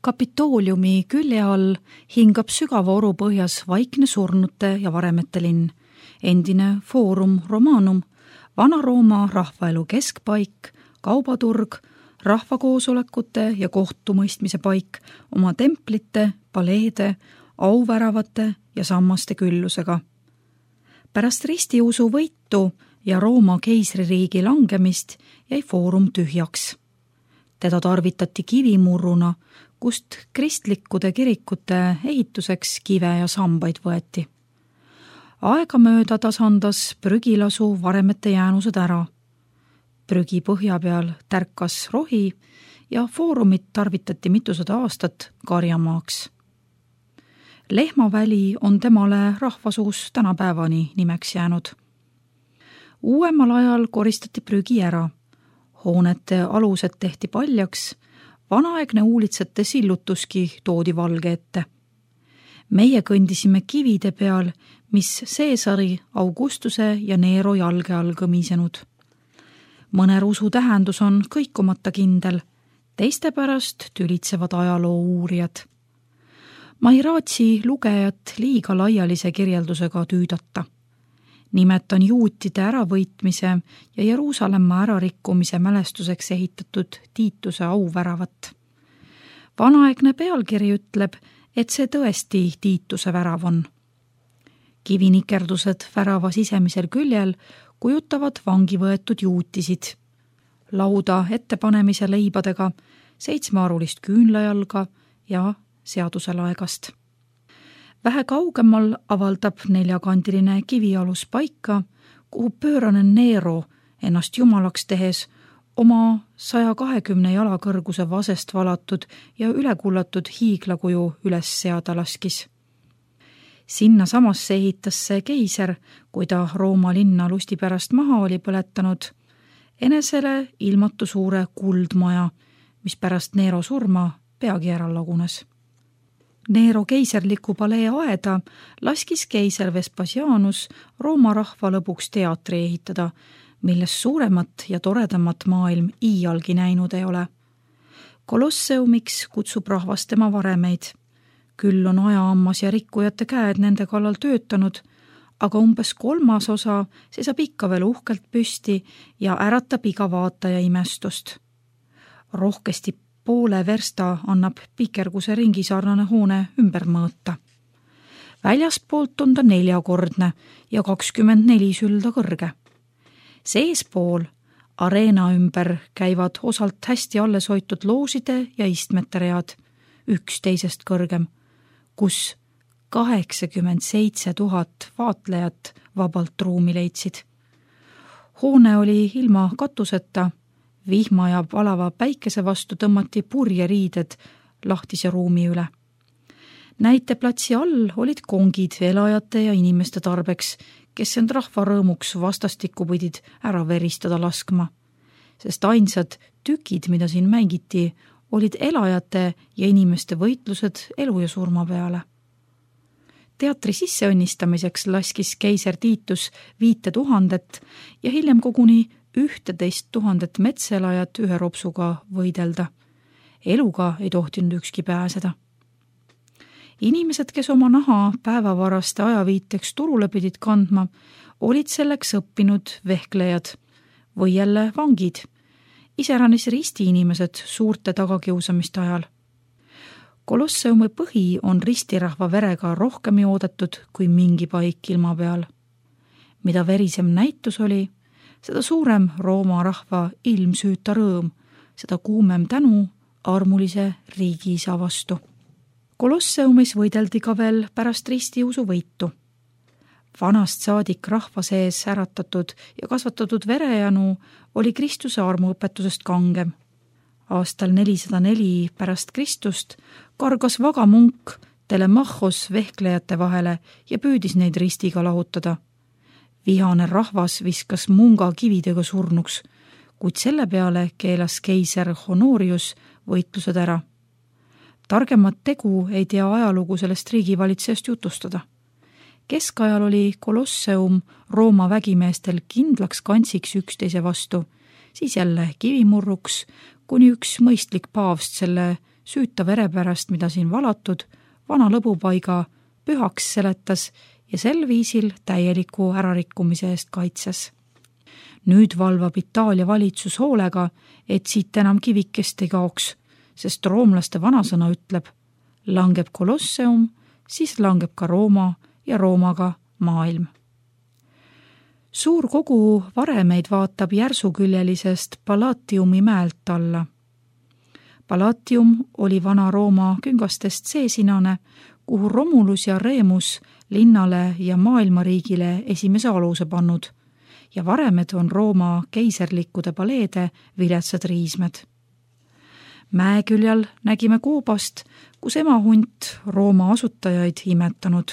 Kapitooliumi külje all hingab sügava oru põhjas vaikne surnute ja varemete linn, endine Forum Romanum, Vana-Rooma rahvaelu keskpaik, kaubaturg, rahvakoosolekute ja kohtumõistmise paik oma templite, paleede, auväravate ja sammaste küllusega. Pärast ristiusu võitu ja Rooma keisririigi langemist jäi Foorum tühjaks. Teda tarvitati kivimurruna, kust kristlikkude kirikute ehituseks kive ja sambaid võeti. Aegamööda tasandas prügilasu varemete jäänused ära. Prügi põhja peal tärkas rohi ja Foorumit tarvitati mitusada aastat karjamaaks. Lehmaväli on temale rahvasuus tänapäevani nimeks jäänud. Uuemal ajal koristati prügi ära. Hoonete alused tehti paljaks, vanaaegne uulitsate sillutuski toodi valge ette. Meie kõndisime kivide peal, mis Caesari, Augustuse ja Nero jalge all kõmisenud. Mõne rusu tähendus on kõikumata kindel, teiste pärast tülitsevad ajaloo uurijad. Ma ei raatsi lugejat liiga laialise kirjeldusega tüüdata. Nimetan juutide äravõitmise ja Jeruusalemma ärarikkumise mälestuseks ehitatud Tiituse auväravat. Vanaaegne pealkiri ütleb, et see tõesti Tiituse värav on. Kivinikerdused värava sisemisel küljel kujutavad vangi võetud juutisid. Lauda ettepanemise leibadega, 7-arulist küünlajalga ja seaduselaegast. Vähe kaugemal avaldab 4-kandiline kivialus paika, kuhu pöörane Nero ennast jumalaks tehes oma 120 jala kõrguse vasest valatud ja ülekullatud hiiglakuju üles seada laskis. Sinna samasse ehitas see keiser, kui ta Rooma linna lusti pärast maha oli põletanud, enesele ilmatu suure kuldmaja, mis pärast Nero surma peagi ära lagunes. Nero keiserliku palee aeda laskis keiser Vespasianus Rooma rahva lõpuks teatri ehitada, milles suuremat ja toredamat maailm iialgi näinud ei ole. Kolosseumiks kutsub rahvas tema varemeid. Küll on ajaammas ja rikkujate käed nende kallal töötanud, aga umbes 3/3 seisab ikka veel uhkelt püsti ja äratab iga vaataja imestust. Rohkesti poole versta annab pikerguse ringisarnane hoone ümber mõõta. Väljaspoolt on ta 4-kordne ja 24 sülda kõrge. Seespool areena ümber käivad osalt hästi alles hoitud looside ja istmete read, üks teisest kõrgem, kus 87 000 vaatlejat vabalt ruumi leidsid. Hoone oli ilma katuseta, vihma ja valava päikese vastu tõmmati purjeriided lahtise ruumi üle. Näiteplatsi all olid kongid elajate ja inimeste tarbeks, kes end rahva rõõmuks vastastikku pidid ära veristada laskma, sest ainsad tükid, mida siin mängiti, olid elajate ja inimeste võitlused elu ja surma peale. Teatri sisseõnnistamiseks laskis keiser Tiitus 5000 ja hiljem koguni 11 000 metselajat ühe ropsuga võidelda. Eluga ei tohtinud ükski pääseda. Inimesed, kes oma naha päevavaraste ajaviiteks turule pidid kandma, olid selleks õppinud vehklejad või jälle vangid, iseäranis ristiinimesed suurte tagakiusamiste ajal. Kolosseumi põhi on ristirahva verega rohkem joodetud kui mingi paik ilma peal. Mida verisem näitus oli, seda suurem Rooma rahva ilmsüüta rõõm, seda kuumem tänu armulise riigiisa vastu. Kolosseumis võideldi ka veel pärast ristiusu võitu. Vanast saadik rahva sees äratatud ja kasvatatud verejanu oli Kristuse armuõpetusest kangem. Aastal 404 pärast Kristust kargas vaga munk Telemachos vehklejate vahele ja püüdis neid ristiga lahutada. Vihane rahvas viskas munga kividega surnuks, kuid selle peale keelas keiser Honorius võitlused ära. Targemat tegu ei tea ajalugu sellest riigivalitsejast jutustada. Keskajal oli Kolosseum Rooma vägimeestel kindlaks kantsiks üksteise vastu, siis jälle kivimurruks, kuni üks mõistlik paavst selle süüta vere pärast, mida siin valatud, vana lõbupaiga pühaks seletas ja sel viisil täieliku ärarikkumise eest kaitses. Nüüd valvab Itaalia valitsus hoolega, et siit enam kivikest ei kaoks, sest roomlaste vanasõna ütleb, langeb Kolosseum, siis langeb ka Rooma ja Roomaga maailm. Suur kogu varemeid vaatab järsuküljelisest Palatiumi mäelt alla. Palatium oli vana Rooma küngastest seesinane, kuhu Romulus ja Remus linnale ja maailmariigile esimese aluse pannud ja varemed on Rooma keiserlikkude paleede viletsad riismed. Mäeküljal nägime koobast, kus emahunt Rooma asutajaid imetanud.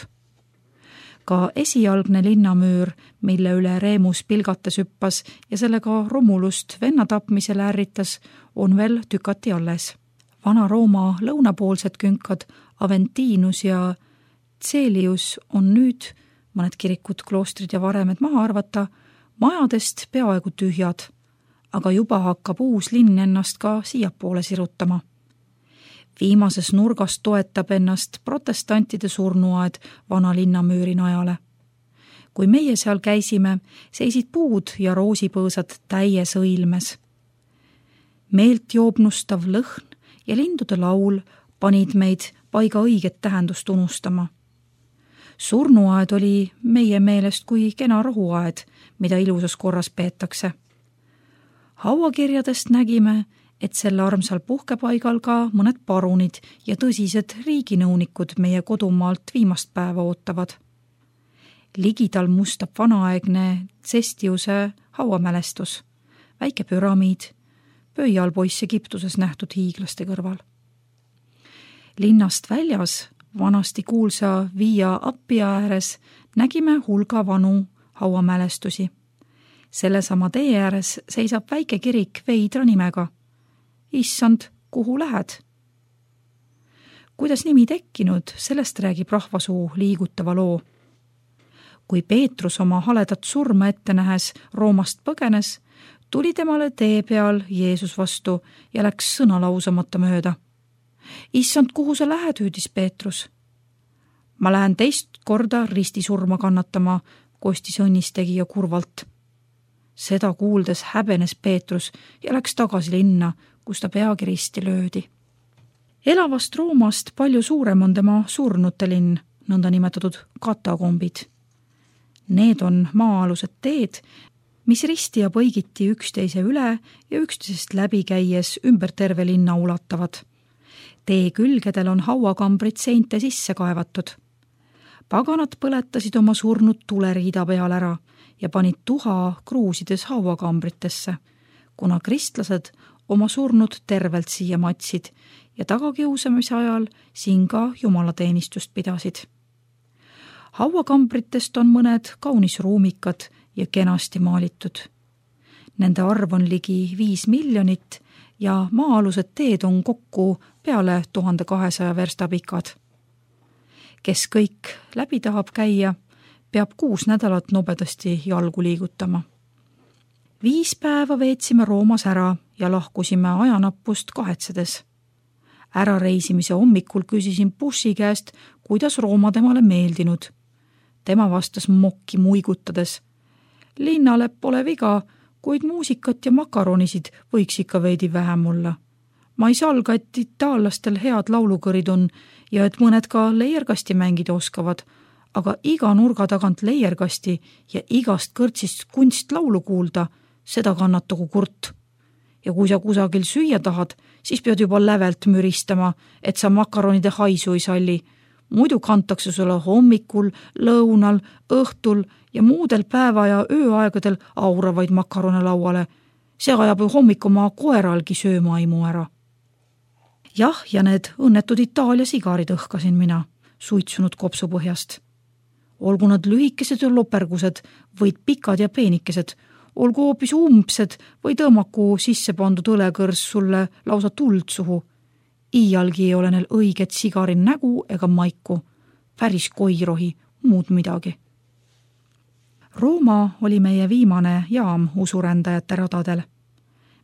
Ka esialgne linnamüür, mille üle Remus pilgates hüppas ja sellega Romulust venna tapmisele ärritas, on veel tükati alles. Vana Rooma lõunapoolsed künkad Aventinus ja Celius on nüüd, mõned kirikud, kloostrid ja varemed maha arvata, majadest peaaegu tühjad, aga juba hakkab uus linn ennast ka siiapoole sirutama. Viimases nurgas toetab ennast protestantide surnuaed vana linnamüüri najale. Kui meie seal käisime, seisid puud ja roosipõõsad täies õilmes. Meelt joobnustav lõhn ja lindude laul panid meid paiga õiget tähendust unustama. Surnuaed oli meie meelest kui kena rahuaed, mida ilusas korras peetakse. Hauakirjadest nägime, et sel armsal puhkepaigal ka mõned parunid ja tõsised riiginõunikud meie kodumaalt viimast päeva ootavad. Ligital mustab vanaaegne Cestiuse hauamälestus, väike püramiid, pöial poiss Egiptuses nähtud hiiglaste kõrval. Linnast väljas, vanasti kuulsa Via Appia ääres, nägime hulga vanu hauamälestusi. Sellesama tee ääres seisab väike kirik veidra nimega. Issand, kuhu lähed? Kuidas nimi tekkinud, sellest räägib rahvasuu liigutava loo. Kui Peetrus oma haledat surma ette nähes Roomast põgenes, tuli temale tee peal Jeesus vastu ja läks sõna lausamata mööda. Issand, kuhu sa lähed, hüüdis Peetrus? Ma lähen teist korda ristisurma kannatama, kostis õnnistegija kurvalt. Seda kuuldes häbenes Peetrus ja läks tagasi linna, kus ta peagi risti löödi. Elavast Roomast palju suurem on tema surnute linn, nõnda nimetatud katakombid. Need on maa-alused teed, mis risti ja põigiti üksteise üle ja üksteisest läbi käies ümber terve linna ulatavad. Tee külgedel on hauakambrid seinte sisse kaevatud. Paganad põletasid oma surnud tuleriida peal ära ja panid tuha kruusides hauakambritesse, kuna kristlased oma surnud tervelt siia matsid ja tagakiusamise ajal siin ka jumalateenistust pidasid. Hauakambritest on mõned kaunis ruumikad ja kenasti maalitud. Nende arv on ligi 5 miljonit ja maa-alused teed on kokku peale 1200 versta pikad. Kes kõik läbi tahab käia, peab 6 nädalat nobedasti jalgu liigutama. 5 päeva veetsime Roomas ära ja lahkusime ajanappust kahetsedes. Ärareisimise hommikul küsisin bussi käest, kuidas Rooma temale meeldinud. Tema vastas mokki muigutades. Linnale pole viga, kuid muusikat ja makaronisid võiks ikka veidi vähem olla. Ma ei salga, et itaallastel head laulukõrid on ja et mõned ka leierkasti mängida oskavad, aga iga nurga tagant leierkasti ja igast kõrtsist kunstlaulu kuulda, seda kannatagu kurt. Ja kui sa kusagil süüa tahad, siis pead juba lävelt müristama, et sa makaronide haisu ei salli. Muidu kantakse sulle hommikul, lõunal, õhtul ja muudel päeva- ja ööaegadel auravaid makarone lauale. See ajab ju hommikuma koeralgi söömaimu ära. Jah, ja need õnnetud Itaalia sigarid õhkasin mina, suitsunud kopsu põhjast. Olgu nad lühikesed ja lopergused, võid pikad ja peenikesed, olgu hoopis umbsed või tõmmaku sisse pandud õlekõrs sulle lausa tuld suhu. Iialgi ei ole neil õiget sigarin nägu ega maiku, päris koirohi, muud midagi. Rooma oli meie viimane jaam usurändajate radadel.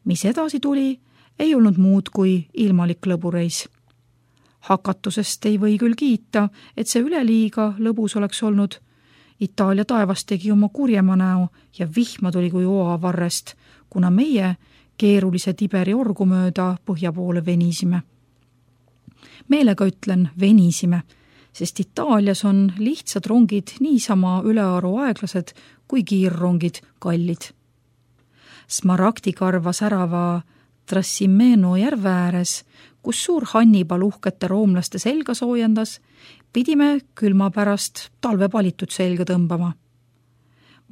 Mis edasi tuli, ei olnud muud kui ilmalik lõbureis. Hakatusest ei või küll kiita, et see üleliiga lõbus oleks olnud. Itaalia taevas tegi oma kurjema näo ja vihma tuli kui oavarrest, kuna meie keerulise Tiberi orgu mööda põhja poole venisime. Meelega ütlen venisime, sest Itaalias on lihtsad rongid niisama ülearu aeglased kui kiirrongid kallid. Smaragdikarva särava Trassimeno järve ääres, kus suur Hannibal uhkete roomlaste selga soojendas, pidime külma pärast talvepalitud selga tõmbama.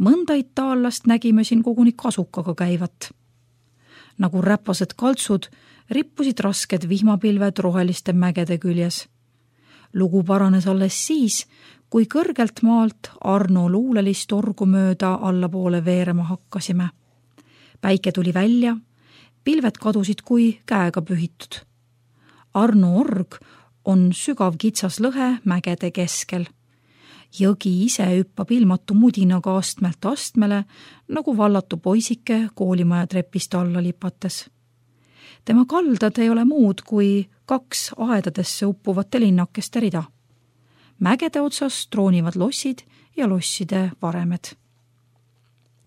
Mõnda itaallast nägime siin koguni kasukaga käivat. Nagu räpased kaltsud rippusid rasked vihmapilved roheliste mägede küljes. Lugu paranes alles siis, kui kõrgelt maalt Arno luulelist orgu mööda allapoole veerema hakkasime. Päike tuli välja, pilved kadusid kui käega pühitud. Arno org on sügav kitsas lõhe mägede keskel. Jõgi ise hüppab ilmatu mudinaga astmelt astmele, nagu vallatu poisike koolimaja trepist alla lipates. Tema kaldad ei ole muud kui 2 aedadesse uppuvate linnakeste rida. Mägede otsas troonivad lossid ja losside varemed.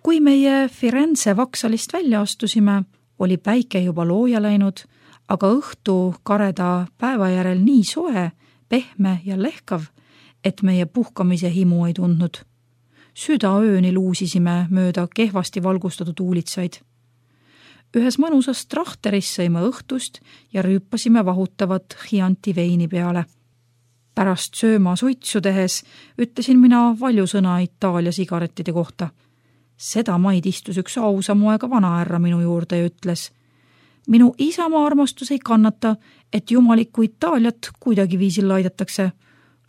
Kui meie Firenze vaksalist välja astusime, oli päike juba looja läinud, aga õhtu kareda päeva järel nii soe, pehme ja lehkav, et meie puhkamise himu ei tundnud. Südaööni luusisime mööda kehvasti valgustatud uulitsaid. Ühes mõnusas trahteris sõime õhtust ja rüüpasime vahutavat Chianti veini peale. Pärast sööma suitsu tehes ütlesin mina valjusõna Itaalia sigarettide kohta. Seda maid istus üks ausa moega vanahärra minu juurde ja ütles: minu isamaa armastus ei kannata, et jumalikku Itaaliat kuidagi viisil laidatakse.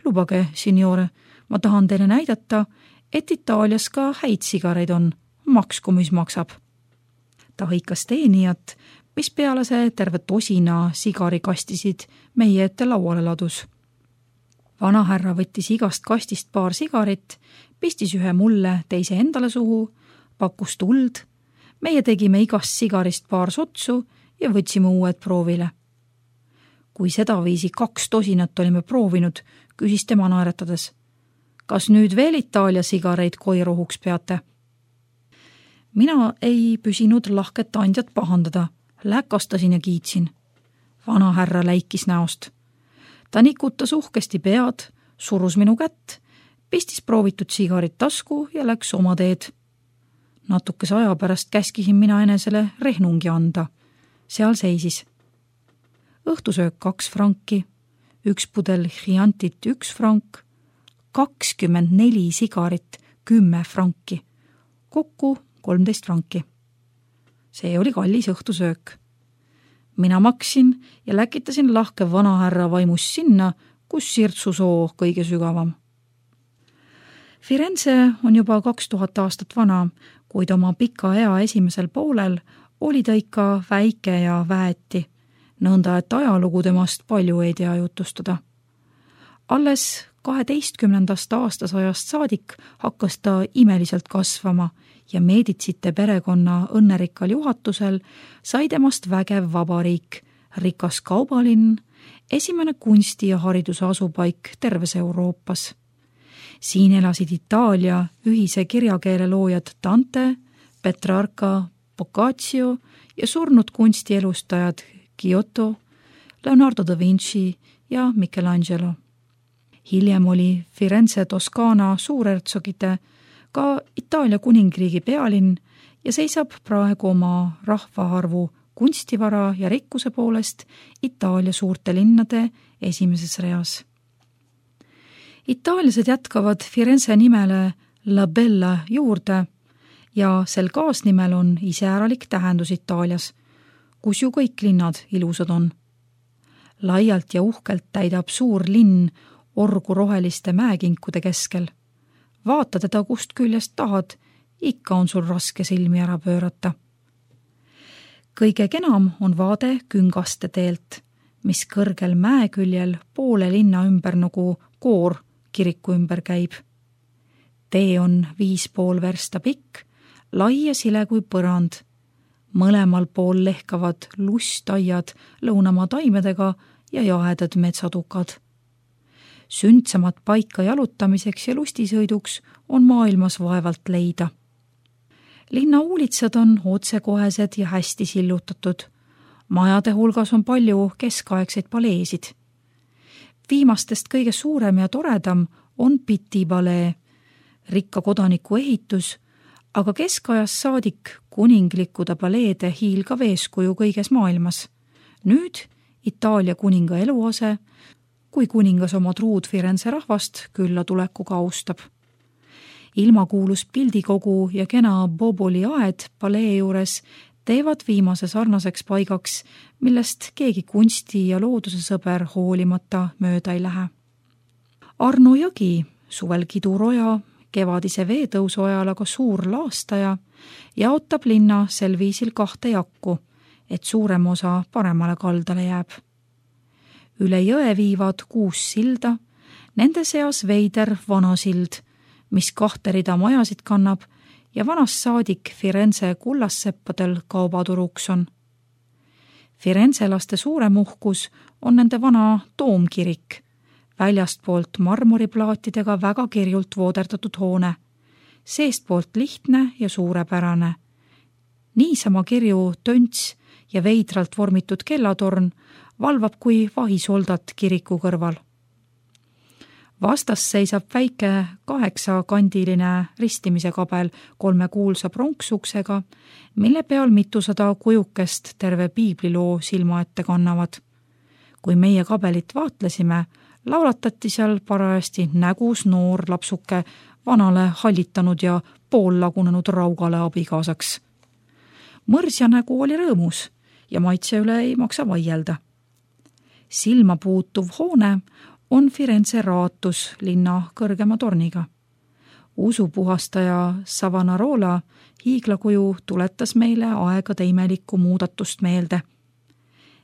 Lubage, signore, ma tahan teile näidata, et Itaalias ka häid sigareid on, maksku mis maksab. Ta hõikas teenijat, mis peale see terve tosina sigari kastisid meie ette lauale ladus. Vanahärra võttis igast kastist paar sigarit, pistis ühe mulle, teise endale suhu, pakkus tuld, meie tegime igast sigarist paar sotsu ja võtsime uued proovile. Kui seda viisi 2 tosinat olime proovinud, küsis tema naeretades: kas nüüd veel Itaalia sigareid koirohuks peate? Mina ei püsinud lahket andjat pahandada, läkastasin ja kiitsin. Vanahärra läikis näost. Ta nikutas uhkesti pead, surus minu kätt, pistis proovitud sigarit tasku ja läks oma teed. Natukese aja pärast käskisin mina enesele rehnungi anda. Seal seisis õhtusöök 2 franki, 1 pudel Chiantit 1 frank, 24 sigarit 10 franki, kokku 13 franki. See oli kallis õhtusöök. Mina maksin ja läkitasin lahke vanahärra vaimus sinna, kus sirtsusoo kõige sügavam. Firenze on juba 2000 aastat vana, kuid oma pika ea esimesel poolel oli ta ikka väike ja väeti, nõnda et ajalugu temast palju ei tea jutustada. Alles 12. aastasajast saadik hakkas ta imeliselt kasvama ja Meditsite perekonna õnnerikkal juhatusel sai temast vägev vabariik, rikas kaubalinn, esimene kunsti- ja hariduse asupaik terves Euroopas. Siin elasid Itaalia ühise kirjakeele loojad Dante, Petrarca, Boccaccio ja surnud kunstielustajad Giotto, Leonardo da Vinci ja Michelangelo. Hiljem oli Firenze Toskaana suurhertsogide ka Itaalia kuningriigi pealinn ja seisab praegu oma rahvaarvu, kunstivara ja rikkuse poolest Itaalia suurte linnade esimeses reas. Itaaliased jätkavad Firenze nimele La Bella juurde ja sel kaasnimel on iseäralik tähendus Itaalias, kus ju kõik linnad ilusad on. Laialt ja uhkelt täidab suur linn orgu roheliste mäekinkude keskel. Vaata teda kust küljest tahad, ikka on sul raske silmi ära pöörata. Kõige kenam on vaade Küngaste teelt, mis kõrgel mäeküljel poole linna ümber nagu koor kiriku ümber käib. Tee on 5,5 versta pikk, lai ja sile kui põrand. Mõlemal pool lehkavad lustaiad lõunamaa taimedega ja jahedad metsatukad. Sündsamat paika jalutamiseks ja lustisõiduks on maailmas vaevalt leida. Linna uulitsad on otsekohesed ja hästi sillutatud. Majade hulgas on palju keskaegseid paleesid. Viimastest kõige suurem ja toredam on Pitti palee, rikka kodaniku ehitus, aga keskajas saadik kuninglikkude paleede hiilgav eeskuju kõiges maailmas. Nüüd Itaalia kuninga eluase, kui kuningas oma truud Firenze rahvast külla tulekuga austab. Ilmakuulus pildikogu ja kena Boboli aed palee juures teevad viimase sarnaseks paigaks, millest keegi kunsti ja looduse sõber hoolimata mööda ei lähe. Arno jõgi, suvel kiduroja, kevadise veetõusu ajal aga suur laastaja, jaotab linna sel viisil 2 jakku, et suurem osa paremale kaldale jääb. Üle jõe viivad 6 silda, nende seas veider vana sild, mis 2 rida majasid kannab ja vanast saadik Firenze kullaseppadel kaubaturuks on. Firenzelaste suurem uhkus on nende vana toomkirik, väljastpoolt marmoriplaatidega väga kirjult vooderdatud hoone, seestpoolt lihtne ja suurepärane. Niisama kirju tönts ja veidralt vormitud kellatorn valvab kui vahisoldat kiriku kõrval. Vastas seisab väike 8-kandiline ristimise kabel 3 kuulsa pronksuksega, mille peal 200 kujukest terve piibliloo silma ette kannavad. Kui meie kabelit vaatlesime, laulatati seal parajasti nägus noor lapsuke vanale hallitanud ja poollagunenud raugale abikaasaks. Mõrsja nägu oli rõõmus ja maitse üle ei maksa vaielda. Silma puutuv hoone on Firenze raatus linna kõrgema torniga. Usupuhastaja Savonarola hiiglakuju tuletas meile aegade imelikku muudatust meelde.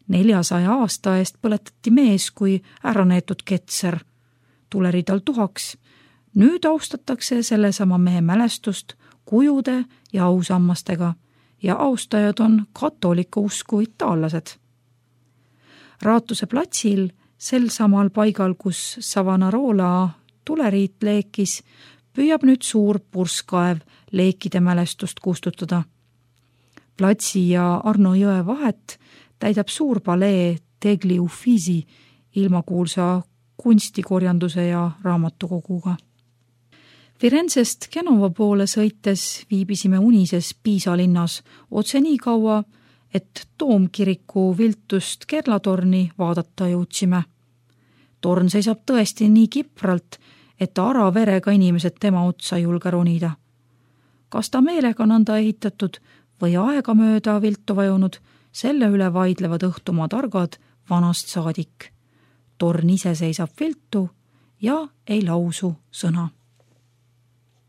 400 aasta eest põletati mees kui äraneetud ketser. Tuleridal tuhaks. Nüüd austatakse sellesama mehe mälestust kujude ja ausammastega ja austajad on katoliku usku itaallased. Raatuse platsil sel samal paigal, kus Savonarola tuleriit leekis, püüab nüüd suur purskkaev leekide mälestust kustutada. Platsi ja Arno jõe vahet täidab suur palee Degli Uffizi ilmakuulsa kunstikorjanduse ja raamatukoguga. Firenzest Genova poole sõites viibisime unises Piisa linnas otse nii kaua, et toomkiriku viltust kerlatorni vaadata jõudsime. Torn seisab tõesti nii kipralt, et araverega inimesed tema otsa julge ronida. Kas ta meelega nõnda ehitatud või aegamööda viltu vajunud, selle üle vaidlevad õhtumaa targad vanast saadik. Torn ise seisab viltu ja ei lausu sõna.